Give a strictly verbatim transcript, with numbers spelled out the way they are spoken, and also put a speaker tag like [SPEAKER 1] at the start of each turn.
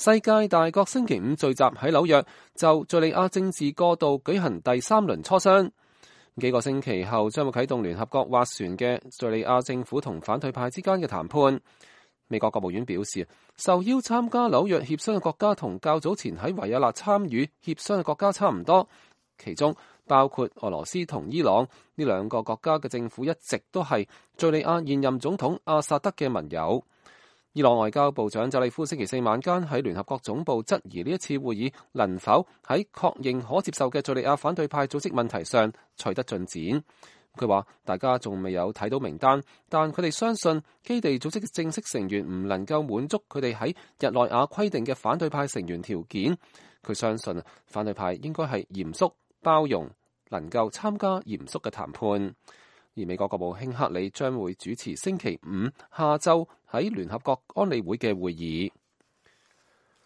[SPEAKER 1] 世界大國星期五聚集喺紐約，就敘利亞政治過渡舉行第三輪磋商。幾個星期後將會啟動聯合國斡旋嘅敘利亞政府同反對派之間嘅談判。美國國務院表示，受邀參加紐約協商嘅國家同較早前喺維也納參與協商嘅國家差唔多，其中包括俄羅斯同伊朗。呢兩個國家嘅政府一直都係敘利亞現任總統阿薩德嘅盟友。伊朗外交部長扎利夫星期四晚間喺聯合國總部質疑呢一次會議能否喺確認可接受嘅敘利亞反對派組織問題上取得進展。佢話大家仲未有睇到名單，但佢哋相信基地組織嘅正式成員唔能夠滿足佢哋喺日內瓦規定嘅反對派成員條件。佢相信反對派應該係嚴肅包容，能夠參加嚴肅嘅談判。而美國國務卿克里將會主持星期五下晝喺聯合國安理會嘅會議。